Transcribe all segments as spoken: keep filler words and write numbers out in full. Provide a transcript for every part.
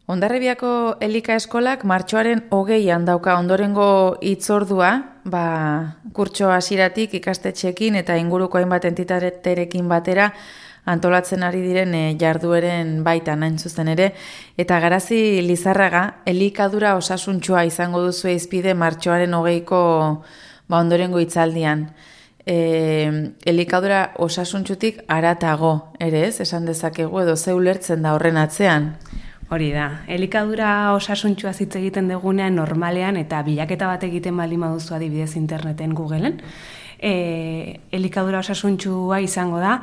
Hondarribiako Elika Eskolak martxoaren hogeian dauka ondorengo hitzordua, ba, kurtso hasieratik ikastetxeekin eta inguruko hainbat entitaterekin batera antolatzen ari diren e, jardueren baitan hain zuzen ere, eta Garazi Lizarraga elikadura osasuntsua izango duzu hizpide martxoaren hogeiko ba, ondorengo hitzaldian. E, elikadura osasuntsutik haratago ere ez, esan dezakegu edo ze ulertzen da horren atzean? Hori da, elikadura osasuntsua hitz egiten dugunean normalean eta bilaketa bat egiten baldin baduzu adibidez interneten Googleen, e, elikadura osasuntsua izango da,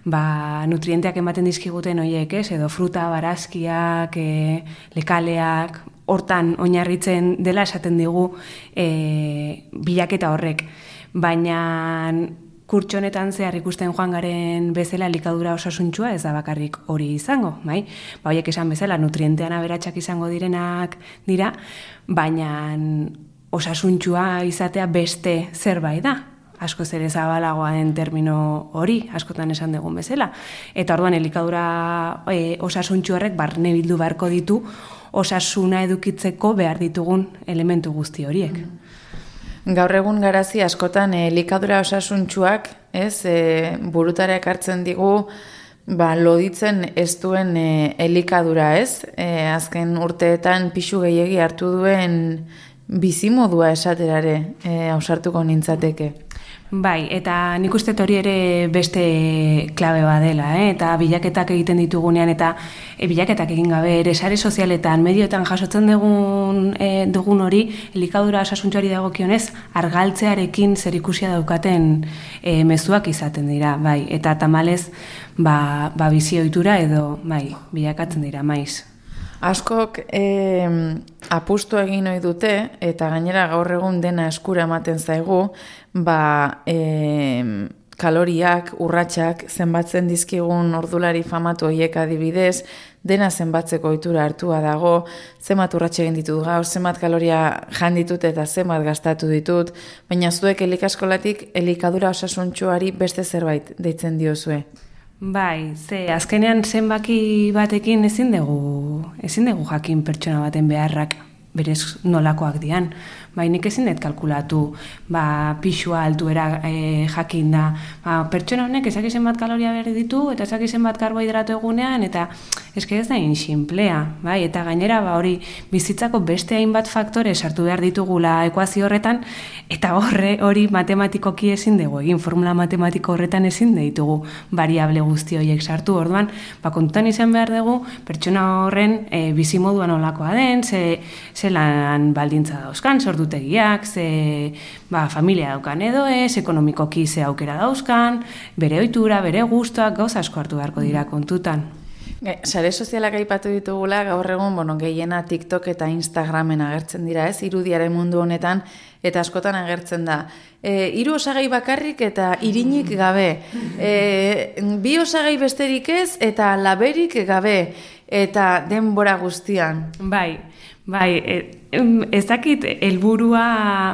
ba, nutrienteak ematen dizkiguten horiek, ez, edo fruta, barazkiak, e, lekaleak, hortan oinarritzen dela esaten digu e, bilaketa horrek, baina kurtso honetan zehar ikusten joan garen bezala elikadura osasuntsua ez da bakarrik hori izango, bai? Ba, horiek esan bezala nutrientean aberatsak izango direnak dira, baina osasuntsua izatea beste zerbait da. Askoz ere zabalagoa den termino hori, askotan esan dugun bezala. Eta orduan elikadura e, osasuntsu horrek barne bildu beharko ditu osasuna edukitzeko behar ditugun elementu guzti horiek. Mm. Gaur egun Garazi askotan elikadura osasuntsuak, ez, e, burutara ekartzen digu, ba, loditzen ez duen e, elikadura, ez? E, azken urteetan pixu gehiegi hartu duen bizimodua esaterare, e, ausartuko nintzateke. Bai, eta nik uste hori ere beste klabe badela, eh? Eta bilaketak egiten ditugunean, eta e, bilaketak egin gabe ere sare sozialetan, medioetan jasotzen dugun, e, dugun hori, elikadura osasuntsuari dagokionez, argaltzearekin zerikusia daukaten e, mezuak izaten dira, bai, eta tamalez, ba, ba bizi ohitura edo, bai, bilakatzen dira, maiz. Askok eh, apustu egin ohi dute, eta gainera gaur egun dena eskura ematen zaigu, ba, eh, kaloriak, urratsak, zenbatzen dizkigun ordulari famatu horiek adibidez, dena zenbatzeko ohitura hartua dago, zenbat urratsa egin ditut gaur, zenbat kaloria jan ditut eta zenbat gastatu ditut, baina zuek Elikeskolatik elikadura osasuntsuari beste zerbait deitzen diozue. Bai, ze azkenean zenbaki batekin ezin dugu, ezin dugu jakin pertsona baten beharrak berez nolakoak dian. Bai, nik ezin dut kalkulatu, ba, pixua altuera e, jakin da. Ba, pertsona honek ezaki zenbat kaloria behar ditu, eta ezaki zenbat karbohidrato egunean, eta eske ez da inxinplea, bai, eta gainera, ba, hori bizitzako beste hainbat faktore sartu behar ditugula ekuazio horretan, eta horre hori matematikoki ezin dugu egin, formula matematiko horretan ezin ditugu variable guzti horiek sartu, orduan, ba, kontutan izan behar dugu, pertsona horren e, bizimoduan olakoa den, ze, ze lan baldintza dauzkan, sordutegiak, ze ba, familia daukan edo ez, ekonomikoki ze aukera dauzkan, bere ohitura, bere gustuak, gauza asko hartu beharko dira kontutan. Sare sozialak aipatu ditugula, gaur egun, bueno, gehiena TikTok eta Instagramen agertzen dira, ez, irudiaren mundu honetan, eta askotan agertzen da. E, hiru osagai bakarrik eta irinik gabe. E, bi osagai besterik ez eta laberik gabe. Eta denbora guztian. Bai, bai, ez dakit helburua,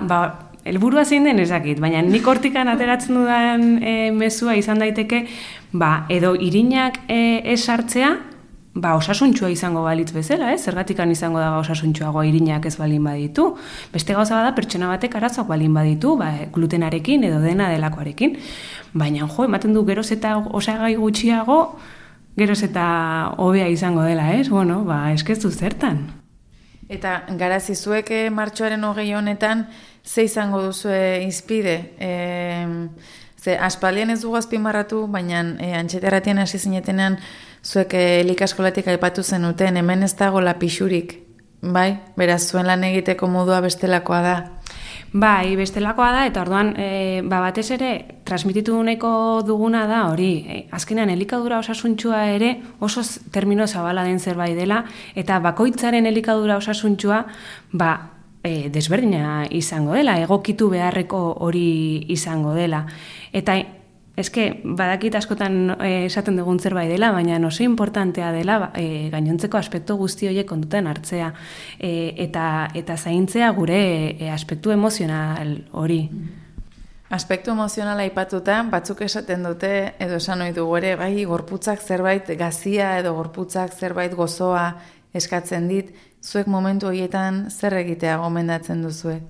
ba, helburua zein den ez dakit, baina nik hortikan ateratzen dudan e, mezua izan daiteke, ba, edo irinak e, ez sartzea, ba, osasuntsua izango balitz bezala, eh? Zergatikan izango da osasuntsuagoa irinak ez balin baditu. Beste gauza bada pertsona batek arazoak balin baditu, ba, glutenarekin edo dena delakoarekin. Baina, jo, ematen du geroz eta osagai gutxiago, geroz eta hobea izango dela, ez? Bueno, ba, eskeztu zertan. Eta Garazi, zuek martxoaren hogei honetan, ze izango duzue izpide? E, ze, aspaldian ez dugu azpimarratu, baina e, antxeterratien hasi zinetenean, zuek Elikeskolatik aipatu zenuten, hemen ez dago lapixurik, bai? Beraz, zuen lan egiteko modua bestelakoa da. Bai, bestelakoa da, eta orduan, e, ba, batez ere, transmititu nahiko duguna da, hori, e, azkenean elikadura osasuntsua ere oso termino zabala den zerbait dela, eta bakoitzaren elikadura osasuntsua, ba, e, desberdina izango dela, egokitu beharreko hori izango dela. Eta, eske, badakit askotan e, esaten dugun zerbait dela, baina oso importantea dela e, gainontzeko aspektu guzti horiek kontutan hartzea e, eta, eta zaintzea gure e, aspektu emozional hori. Aspektu emozionala aipatuta, batzuk esaten dute, edo esan ohi dugu ere, bai, gorputzak zerbait gazia edo gorputzak zerbait gozoa eskatzen dit, zuek momentu horietan zer egitea gomendatzen duzue?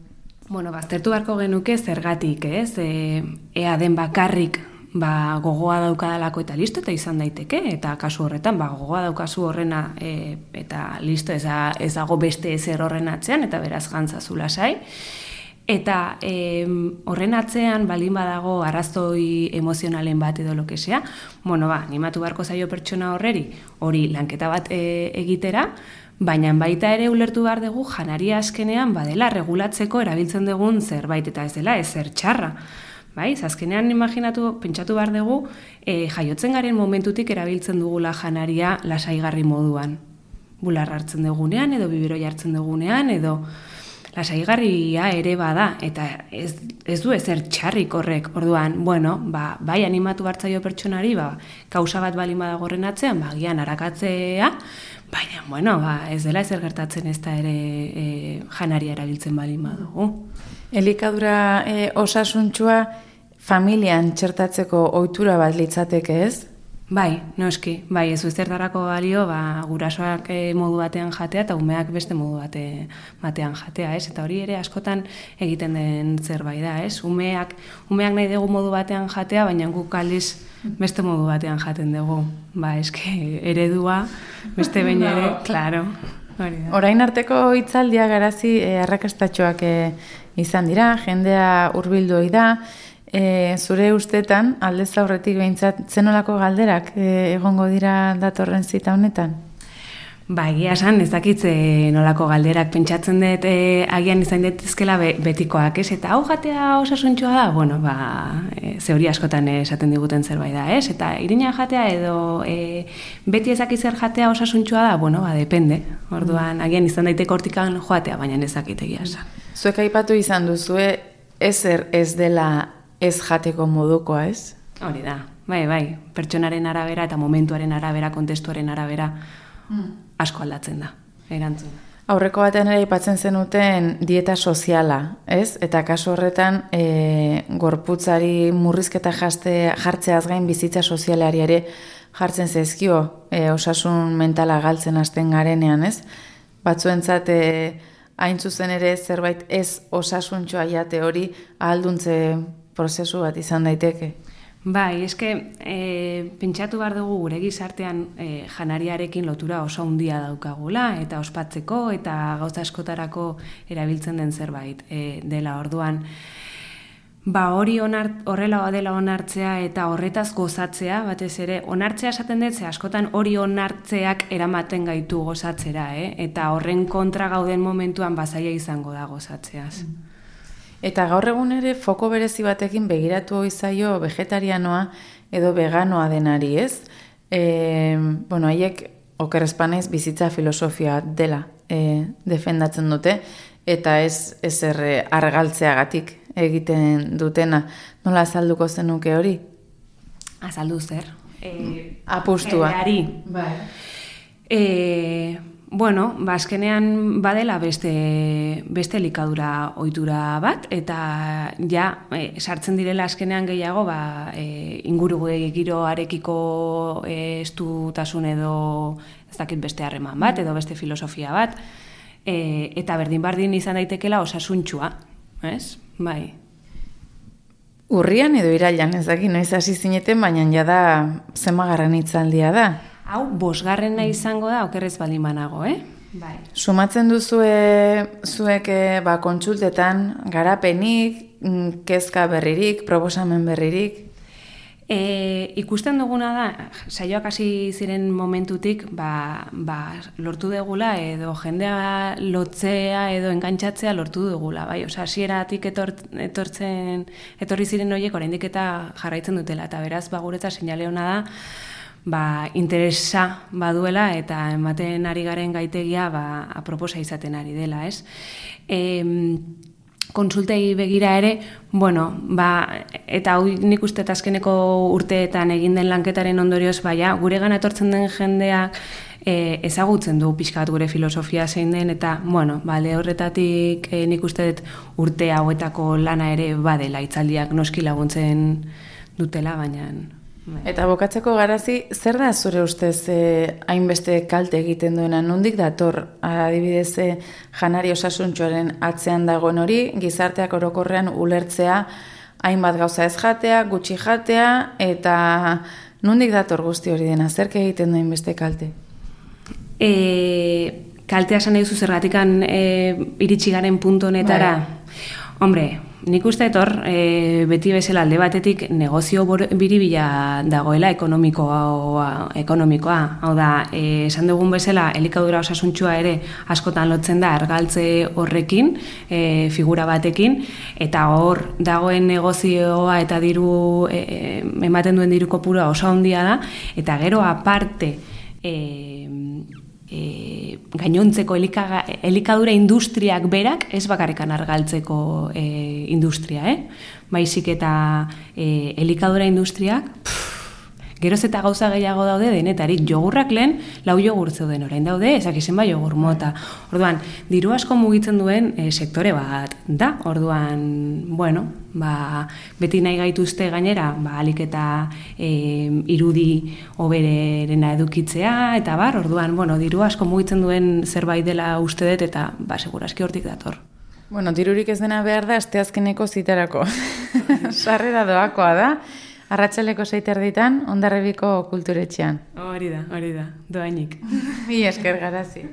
Bueno, baztertu beharko genuke zergatik, ez? E, ea den bakarrik ba, gogoa daukadalako eta listo eta izan daiteke, eta kasu horretan ba, gogoa daukazu horrena e, eta listo ez, a, ez dago beste ezer horren atzean, eta beraz jantzazu lasai. Eta e, horren atzean balin badago arrazoi emozionalen bat edo lokesea, bueno ba, animatu beharko zaio pertsona horreri, hori lanketa bat e, egitera, baina baita ere ulertu behar dugu janaria azkenean badela regulatzeko erabiltzen dugun zerbait eta ez dela ezer txarra. Bai, azkenean imaginatu, pentsatu behar dugu, e, jaiotzen garen momentutik erabiltzen dugula janaria lasaigarri moduan. Bular hartzen dugunean edo biberoi hartzen dugunean edo lasaigarria ere bada, eta ez, ez du ezer txarrik horrek. Orduan, bueno, ba, bai animatu hartzaio pertsonari, ba, kausa bat balin badago horren atzean, ba, gian arakatzea, baina, bueno, ba, ez dela ezer gertatzen ez da ere e, janaria erabiltzen balin badugu. Elikadura e, osasuntxua familian txertatzeko ohitura bat litzateke ez? Bai, noski, bai, ez zertarako balio, ba, gurasoak e, modu batean jatea eta umeak beste modu bate, batean jatea, ez? Eta hori ere askotan egiten den zerbait da, ez? Umeak, umeak nahi dugu modu batean jatea, baina guk aldiz beste modu batean jaten dugu. Ba, eske eredua, beste behin ere, klaro. Orain arteko hitzaldia garazi e, arrakastatxoak e, izan dira, jendea hurbildu da. E, zure ustetan, aldez aurretik behintzat, zenolako galderak e, egongo dira datorren zita honetan? Ba, egia esan, ez dakit nolako galderak pentsatzen dut e, agian izan daitezkela be, betikoak, ez? Eta hau jatea osasuntxua da, bueno, ba, e, zeuri askotan esaten diguten zerbait da, ez? Eta irina jatea edo e, beti ezakit zer jatea osasuntxua da, bueno, ba, depende. Orduan, agian izan daiteko hortikan joatea, baina ez dakit egia esan. Zuek aipatu izan duzue, ezer ez dela ez jateko modukoa, ez? Hori da, bai, bai, pertsonaren arabera eta momentuaren arabera, kontestuaren arabera mm. asko aldatzen da, erantzun. Aurreko batean ere aipatzen zenuten dieta soziala, ez? Eta kasu horretan e, gorputzari murrizketa jaste, jartzeaz gain bizitza sozialari ere jartzen zaizkio e, osasun mentala galtzen hasten garenean, ez? Batzuentzat e, hain zuzen ere zerbait ez osasuntxoa jate hori ahalduntze prozesu bat izan daiteke. Bai, eske e, pentsatu behar dugu gure gizartean e, janariarekin lotura oso handia daukagula eta ospatzeko eta gauza askotarako erabiltzen den zerbait e, dela orduan. Ba hori onart, horrela dela onartzea eta horretaz gozatzea, batez ere, onartzea esaten dut, ze askotan hori onartzeak eramaten gaitu gozatzera, eh? Eta horren kontra gauden momentuan bazaia izango da gozatzeaz. Mm. Eta gaur egun ere foko berezi batekin begiratu izaio vegetarianoa edo veganoa denari, ez? E, bueno, haiek oker espanaiz bizitza filosofia dela e, defendatzen dute, eta ez ezer argaltzeagatik egiten dutena. Nola azalduko zenuke hori? Azaldu zer? E, Apustua. Erreari. Bai. E, Bueno, ba, azkenean badela beste, beste elikadura ohitura bat, eta ja, e, sartzen direla azkenean gehiago, ba, e, inguru giroarekiko e, estutasun edo ez dakit beste harreman bat, edo beste filosofia bat, e, eta berdin-bardin izan daitekela osasuntxua, ez? Bai. Urrian edo irailan, ez dakit, noiz hasi zineten, baina jada zemagarren hitzaldia da. Hau, bosgarrena izango da, okerrez baldin banago, eh? Bai. Sumatzen duzue zuek ba, kontsultetan garapenik, kezka berririk, proposamen berririk? E, ikusten duguna da, saioak hasi ziren momentutik, ba, ba, lortu dugula edo jendea lotzea edo engantzatzea lortu dugula, bai? Osa, hasieratik etor, etortzen, etorri ziren horiek oraindik eta jarraitzen dutela, eta beraz, ba, guretza seinale ona da, ba, interesa baduela eta ematen ari garen gaitegia ba, aproposa izaten ari dela, ez? E, konsultei begira ere, bueno, ba, eta hau nik uste azkeneko urteetan egin den lanketaren ondorioz, baina gure gana etortzen den jendeak e, ezagutzen du pixka bat gure filosofia zein den, eta, bueno, bale horretatik e, nik uste dut urte hauetako lana ere badela, hitzaldiak noski laguntzen dutela, baina Eta bokatzeko Garazi, zer da zure ustez eh, hainbeste kalte egiten duena? Nondik dator, adibidez, eh, janari osasuntsuaren atzean dagoen hori, gizarteak orokorrean ulertzea, hainbat gauza ez jatea, gutxi jatea, eta nondik dator guzti hori dena? Zerk egiten du hainbeste kalte? E, kaltea esan nahi duzu zergatikan e, iritsi garen puntu honetara? Bai. Hombre, nik uste etor, e, beti bezala alde batetik negozio biribila dagoela ekonomikoa, ekonomikoa. Hau da, e, esan dugun bezala, elikadura osasuntxua ere askotan lotzen da argaltze horrekin, e, figura batekin, eta hor dagoen negozioa eta diru, e, ematen duen diru kopurua oso handia da, eta gero aparte, e, E, gainontzeko elikaga, elikadura industriak berak ez bakarrikan argaltzeko e, industria, eh? Baizik eta e, elikadura industriak pff, geroz eta gauza gehiago daude denetarik. Jogurrak lehen lau jogur zeuden orain daude, ezak izen ba jogur mota. Orduan, diru asko mugitzen duen e, sektore bat da. Orduan, bueno, ba, beti nahi gaituzte gainera, ba, alik eta e, irudi oberena edukitzea, eta bar, orduan, bueno, diru asko mugitzen duen zerbait dela uste dut, eta ba, seguraski hortik dator. Bueno, dirurik ez dena behar da, asteazkeneko zitarako. Sarrera doakoa da. Arratsaleko sei erditan, Hondarribiko kulturetxean. Hori da, hori da, doainik. Mila esker Garazi.